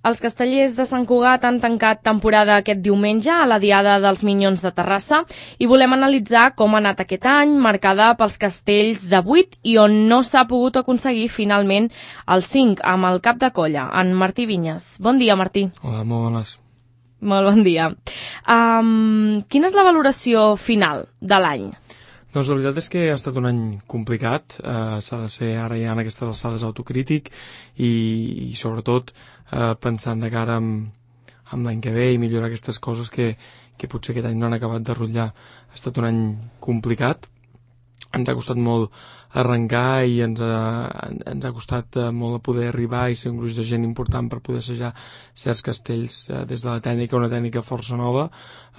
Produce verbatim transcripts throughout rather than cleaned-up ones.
Els castellers de Sant Cugat han tancat temporada aquest diumenge a la Diada dels Minyons de Terrassa i volem analitzar com ha anat aquest any, marcada pels castells de vuit i on no s'ha pogut aconseguir finalment el cinc amb el cap de colla, en Martí Vinyes. Bon dia, Martí. Hola, molt bones. Molt bon dia. Um, quina és la valoració final de l'any? Doncs la veritat és que ha estat un any complicat, eh, s'ha de ser ara ja en aquestes alçades autocrític i, i sobretot eh, pensant de cara amb, amb l'any que ve i millorar aquestes coses que, que potser aquest any no han acabat de rotllar. Ha estat un any complicat, ens ha costat molt arrencar i ens ha, ens ha costat eh, molt poder arribar i ser un gruix de gent important per poder assajar certs castells eh, des de la tècnica, una tècnica força nova.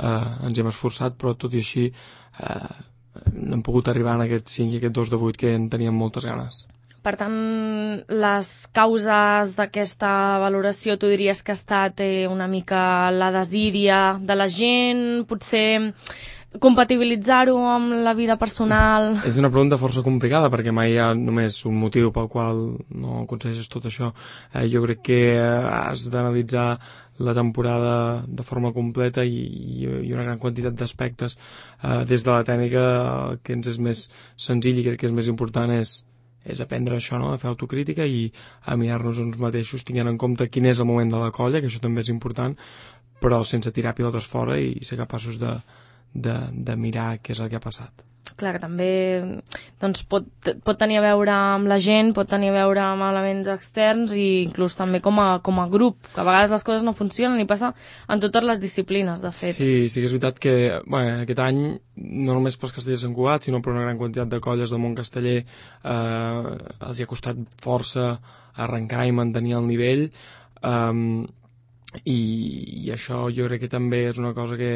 Eh, ens hem esforçat, però tot i així eh, no hem pogut arribar en aquest cinc i aquest dos de vuit que en teníem moltes ganes. Per tant, les causes d'aquesta valoració tu diries que ha estat eh, una mica la desídia de la gent, potser compatibilitzar-ho amb la vida personal? És una pregunta força complicada perquè mai hi ha només un motiu pel qual no aconsegueixes tot això. Eh, jo crec que has d'analitzar la temporada de forma completa i, i una gran quantitat d'aspectes. Eh, des de la tècnica el que ens és més senzill i crec que és més important és, és aprendre això, no? A fer autocrítica i a mirar-nos uns mateixos tenint en compte quin és el moment de la colla, que això també és important, però sense tirar pilotes fora i ser capaços de De, de mirar què és el que ha passat. Clar, que també doncs, pot, pot tenir a veure amb la gent, pot tenir a veure amb elements externs i inclús també com a, com a grup, que a vegades les coses no funcionen i passa en totes les disciplines, de fet. Sí, sí que és veritat que bueno, aquest any, no només pels castellers de Sant Cugat, sinó per una gran quantitat de colles del món casteller, eh, els hi ha costat força arrencar i mantenir el nivell, eh, i, i això jo crec que també és una cosa que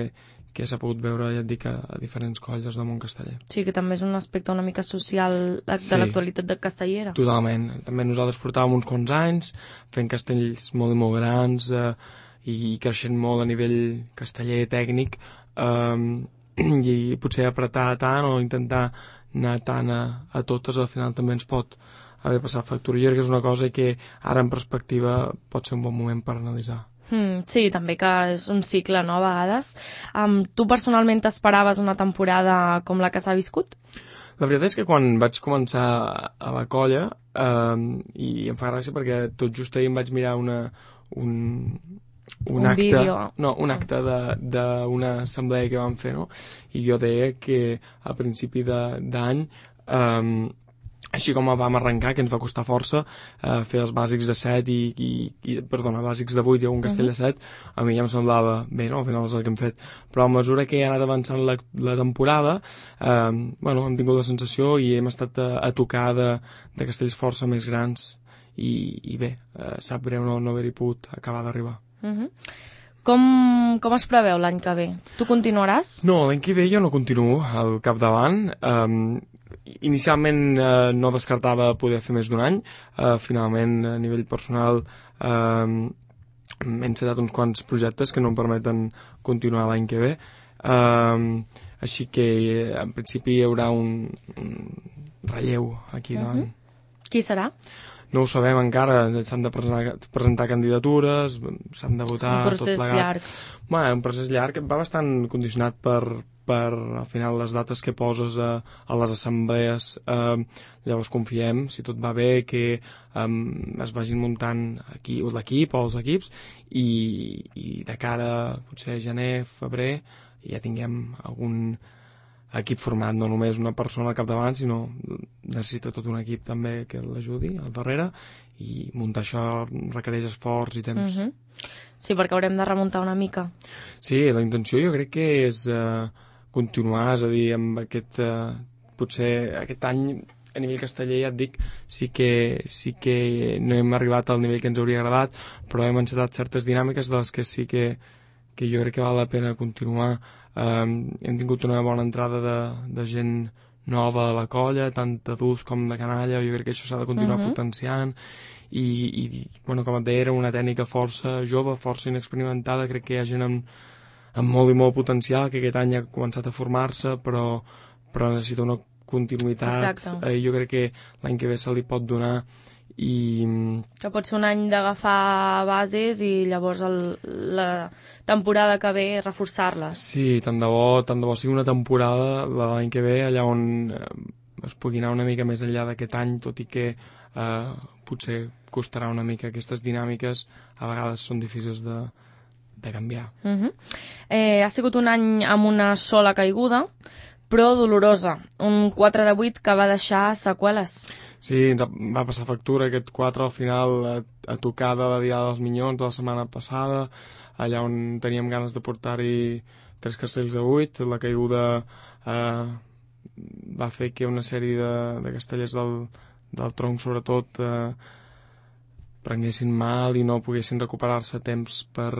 que s'ha pogut veure, ja et dic, a, a diferents colles del món casteller. Sí, que també és un aspecte una mica social de sí, l'actualitat de castellera. Totalment. També nosaltres portàvem uns quants anys fent castells molt i molt grans eh, i creixent molt a nivell casteller tècnic eh, i potser apretar tant o intentar anar tant a, a totes al final també ens pot haver passat factura. Jo crec que és una cosa que ara en perspectiva pot ser un bon moment per analitzar. Mm, sí, també que és un cicle, no, a vegades. Um, tu personalment t'esperaves una temporada com la que s'ha viscut? La veritat és que quan vaig començar a la colla, um, i em fa gràcia perquè tot just ahir em vaig mirar una, un, un, un acte, vídeo. no, un acte d'una assemblea que vam fer, no? I jo deia que a principi d'any um, així com vam arrencar, que ens va costar força eh, fer els bàsics de set i, i, i perdona, bàsics de vuit i un castell uh -huh. de set, a mi ja em semblava bé, no? Al final és el que hem fet, però a mesura que he anat avançant la, la temporada eh, bueno, hem tingut la sensació i hem estat a, a tocar de, de castells força més grans i, i bé, eh, sap greu no, no haver-hi pogut acabar d'arribar. Uh -huh. Com, com es preveu l'any que ve? Tu continuaràs? No, l'any que ve jo no continuo al capdavant. Um, inicialment uh, no descartava poder fer més d'un any. Uh, finalment, a nivell personal, uh, m'he encetat uns quants projectes que no em permeten continuar l'any que ve. Uh, així que, en principi, hi haurà un, un relleu aquí davant. Uh-huh. Qui serà? No ho sabem encara, s'han de presentar, presentar candidatures, s'han de votar, un procés tot plegat. llarg. Bueno, un procés llarg va bastant condicionat per, per al final les dates que poses a, a les assemblees. Eh, llavors confiem, si tot va bé, que eh, es vagin muntant aquí l'equip o els equips i, i de cara potser a gener, febrer, ja tinguem algun equip format, no només una persona al capdavant, sinó necessita tot un equip també que l'ajudi al darrere i muntar això requereix esforç i temps. Uh-huh. Sí, perquè haurem de remuntar una mica. Sí, la intenció jo crec que és uh, continuar, és a dir, amb aquest, uh, potser aquest any a nivell casteller, ja et dic, sí que, sí que no hem arribat al nivell que ens hauria agradat, però hem encetat certes dinàmiques de les que sí que, que jo crec que val la pena continuar. Um, hem tingut una bona entrada de, de gent nova a la colla, tant d'adults com de canalla, jo crec que això s'ha de continuar uh-huh. potenciant i, i bueno, com et deia, era una tècnica força jove, força inexperimentada, crec que hi ha gent amb, amb molt i molt potencial que aquest any ha començat a formar-se, però, però necessita una continuïtat. Exacte. Eh, jo crec que l'any que ve se li pot donar i... Que pot ser un any d'agafar bases i llavors el, la temporada que ve reforçar-les. Sí, tant de bo, tant de bo sigui una temporada l'any que ve allà on eh, es pugui anar una mica més enllà d'aquest any, tot i que eh, potser costarà una mica. Aquestes dinàmiques a vegades són difícils de, de canviar. Uh-huh. eh, ha sigut un any amb una sola caiguda, però dolorosa. Un quatre de vuit que va deixar seqüeles. Sí, ens va passar factura aquest quatre al final a, a tocar de la Diada dels Minyons de la setmana passada, allà on teníem ganes de portar-hi tres castells de vuit. La caiguda eh, va fer que una sèrie de, de castellers del, del tronc sobretot eh, prenguessin mal i no poguessin recuperar-se a temps per,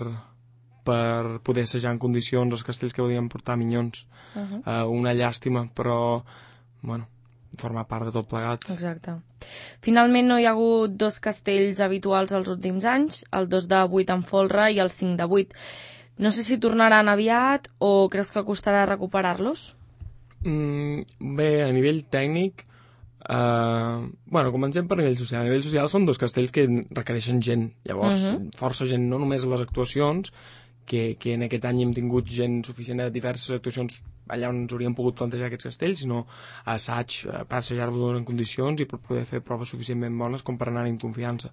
per poder assajar en condicions els castells que volien portar minyons. Uh-huh. eh, una llàstima, però bueno, forma part de tot plegat. Exacte. Finalment no hi ha hagut dos castells habituals els últims anys, el dos de vuit en folre i el cinc de vuit. No sé si tornaran aviat o creus que costarà recuperar-los? Mm, bé, a nivell tècnic, eh, bueno, comencem per nivell social. A nivell social són dos castells que requereixen gent. Llavors, uh-huh. força gent, no només a les actuacions, que, que en aquest any hem tingut gent suficient a diverses actuacions allà on ens hauríem pogut plantejar aquests castells, sinó a assaig, per assajar-lo en condicions i per poder fer proves suficientment bones com per anar amb confiança.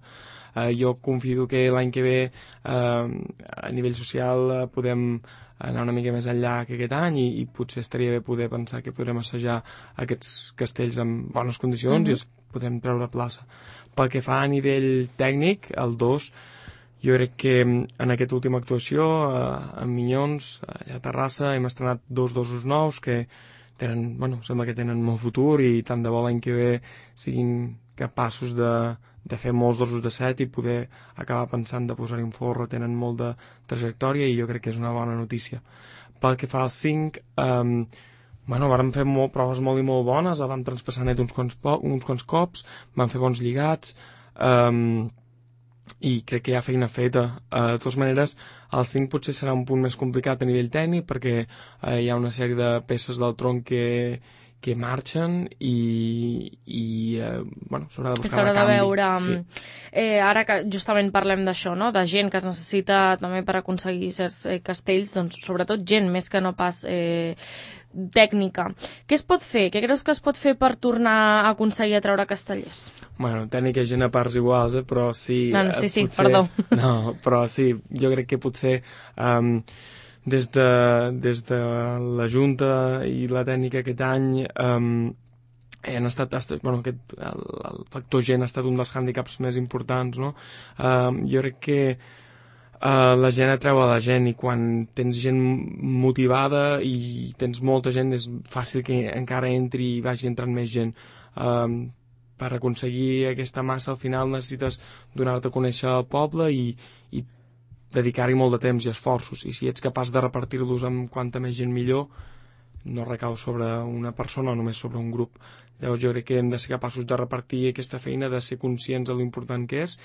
Eh, jo confio que l'any que ve eh, a nivell social eh, podem anar una mica més enllà que aquest any i, i potser estaria bé poder pensar que podrem assajar aquests castells en bones condicions uh-huh. i els podrem treure a plaça. Pel que fa a nivell tècnic, el dos, jo crec que en aquesta última actuació, eh, amb Minyons, allà a Terrassa, hem estrenat dos dosos nous que tenen, bueno, sembla que tenen molt futur i tant de bo l'any que ve siguin capaços de, de fer molts dosos de set i poder acabar pensant de posar-hi un forro, tenen molt de trajectòria i jo crec que és una bona notícia. Pel que fa al cinc, eh, bueno, vàrem fer molt, proves molt i molt bones, el vam traspassar net uns quants, po uns quants cops, vam fer bons lligats, eh, i crec que hi ha feina feta. Uh, de totes maneres, el cinc potser serà un punt més complicat a nivell tècnic perquè uh, hi ha una sèrie de peces del tronc que, que marxen i, i uh, bueno, s'haurà de buscar el canvi. De veure, sí. eh, ara que justament parlem d'això, no? De gent que es necessita també per aconseguir certs eh, castells, doncs sobretot gent més que no pas eh, tècnica. Què es pot fer? Què creus que es pot fer per tornar a aconseguir atreure castellers? Bueno, tècnica i gent a parts iguals, eh? Però sí... No, no, sí, sí, potser, perdó. No, però sí, jo crec que potser um, des, de, des de la Junta i la tècnica aquest any um, han estat, estat bueno, aquest, el, el factor gent ha estat un dels hàndicaps més importants, no? Um, jo crec que Uh, la gent atreu a la gent i quan tens gent motivada i tens molta gent és fàcil que encara entri i vagi entrant més gent. Um, per aconseguir aquesta massa al final necessites donar-te a conèixer al poble i, i dedicar-hi molt de temps i esforços, i si ets capaç de repartir-los amb quanta més gent millor, no recau sobre una persona o només sobre un grup. Llavors jo crec que hem de ser capaços de repartir aquesta feina, de ser conscients de l'important que és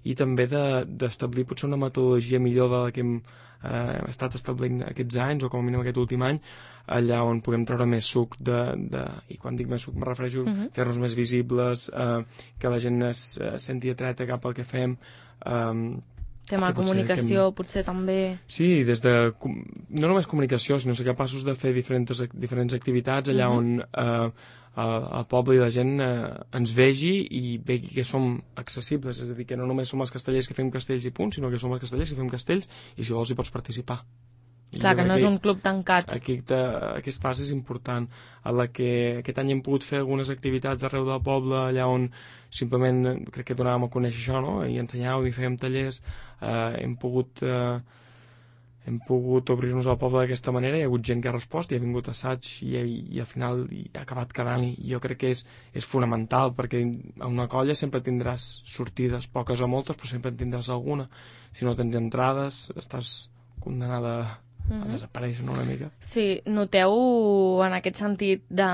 i també d'establir de, potser una metodologia millor de la que hem eh, estat establint aquests anys o com a mínim aquest últim any, allà on puguem treure més suc de, de, i quan dic més suc me refereixo a uh-huh. fer-nos més visibles, eh, que la gent es eh, senti atreta cap al que fem, eh, tema de comunicació, hem... potser també... Sí, des de... no només comunicació, sinó ser capaços de fer diferents, diferents activitats allà uh-huh. on eh, el, el poble i la gent eh, ens vegi i vegi que som accessibles, és a dir, que no només som els castellers que fem castells i punt, sinó que som els castellers que fem castells i si vols hi pots participar. Clar, que no és un club tancat. Aquesta, aquesta fase és important, en la que aquest any hem pogut fer algunes activitats arreu del poble, allà on simplement crec que donàvem a conèixer això, no? I ensenyàvem i fèiem tallers, eh, hem pogut eh, hem pogut obrir-nos al poble d'aquesta manera, hi ha hagut gent que ha respost, hi ha vingut assaig i, i, i al final hi ha acabat quedant-hi. Jo crec que és, és fonamental, perquè a una colla sempre tindràs sortides, poques o moltes, però sempre en tindràs alguna. Si no tens entrades, estàs condenada a a desaparèixer una mica. Sí, noteu en aquest sentit de,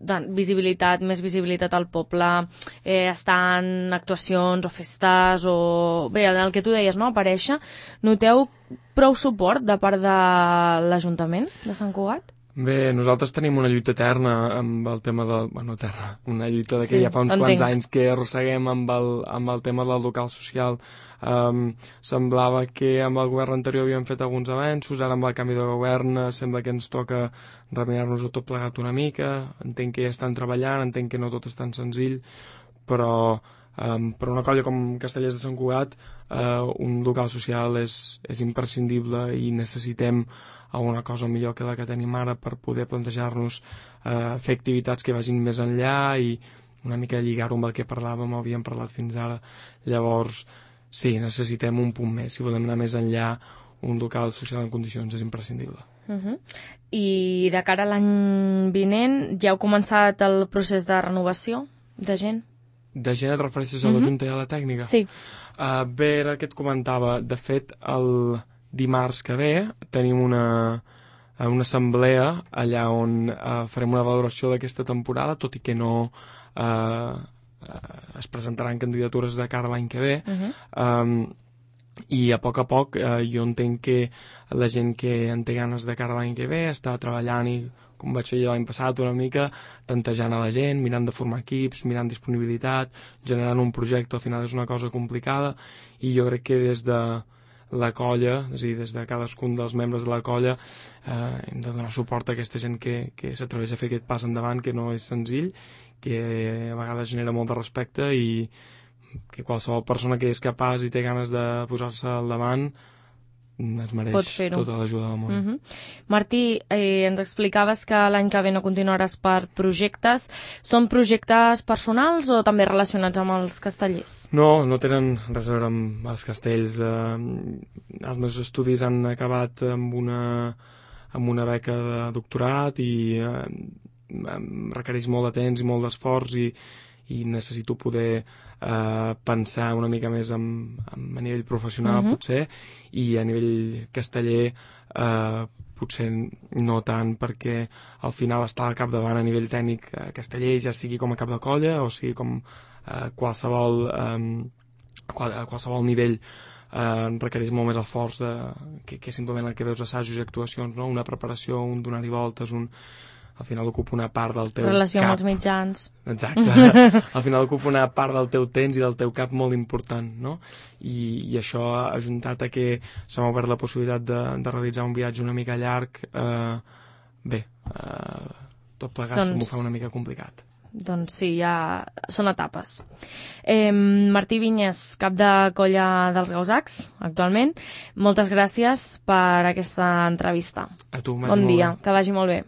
de visibilitat, més visibilitat al poble, eh, estar en actuacions o festes o... Bé, el que tu deies, no?, aparèixer. Noteu prou suport de part de l'Ajuntament de Sant Cugat? Bé, nosaltres tenim una lluita eterna amb el tema del... Bueno, eterna, una lluita de que Sí, ja fa uns entenc. quants anys que arrosseguem amb el, amb el tema del local social. Um, semblava que amb el govern anterior havíem fet alguns avenços, ara amb el canvi de govern eh, sembla que ens toca remirar-nos-ho tot plegat una mica. Entenc que ja estan treballant, entenc que no tot és tan senzill, però um, per una colla com Castellers de Sant Cugat uh, un local social és, és imprescindible i necessitem alguna cosa millor que la que tenim ara per poder plantejar-nos eh, fer activitats que vagin més enllà i una mica lligar-ho amb el que parlàvem, havíem parlat fins ara. Llavors, sí, necessitem un punt més. Si volem anar més enllà, un local social en condicions és imprescindible. Uh-huh. I de cara a l'any vinent, ja heu començat el procés de renovació de gent? De gent et refereixes a la Junta i a la tècnica? Sí. Uh, bé, era el que et comentava. De fet, el dimarts que ve tenim una, una assemblea allà on uh, farem una valoració d'aquesta temporada, tot i que no uh, es presentaran candidatures de cara a l'any que ve. Uh-huh. um, i a poc a poc uh, jo entenc que la gent que en té ganes de cara a l'any que ve està treballant i, com vaig fer jo l'any passat, una mica tantejant a la gent, mirant de formar equips, mirant disponibilitat, generant un projecte. Al final és una cosa complicada i jo crec que des de la colla, és a dir, des de cadascun dels membres de la colla eh, hem de donar suport a aquesta gent que, que s'atreveix a fer aquest pas endavant, que no és senzill, que a vegades genera molt de respecte i que qualsevol persona que és capaç i té ganes de posar-se al davant es mereix tota l'ajuda del món. Uh-huh. Martí, eh, ens explicaves que l'any que ve no continuaràs per projectes. Són projectes personals o també relacionats amb els castellers? No, no tenen res a veure amb els castells. Eh, els meus estudis han acabat amb una, amb una beca de doctorat i eh, em requereix molt de temps i molt d'esforç i, i necessito poder eh, pensar una mica més en, en, a nivell professional, uh-huh. potser, i a nivell casteller eh, potser no tant, perquè al final està al capdavant a nivell tècnic eh, casteller, ja sigui com a cap de colla o sigui com eh, qualsevol eh, qual, qualsevol nivell eh, requereix molt més esforç de, que, que simplement el que veus assajos i actuacions, no? Una preparació, un donar-hi voltes, un al final ocupa una part del teu relació cap. Relació amb els mitjans. Exacte. Al final ocupa una part del teu temps i del teu cap molt important, no? I, i això ha ajuntat a que se m'ha obert la possibilitat de, de realitzar un viatge una mica llarg. Eh, bé, eh, tot plegat doncs, m'ho fa una mica complicat. Doncs sí, ja són etapes. Eh, Martí Vinyes, cap de colla dels Gausacs, actualment. Moltes gràcies per aquesta entrevista. A tu, bon dia, que vagi molt bé.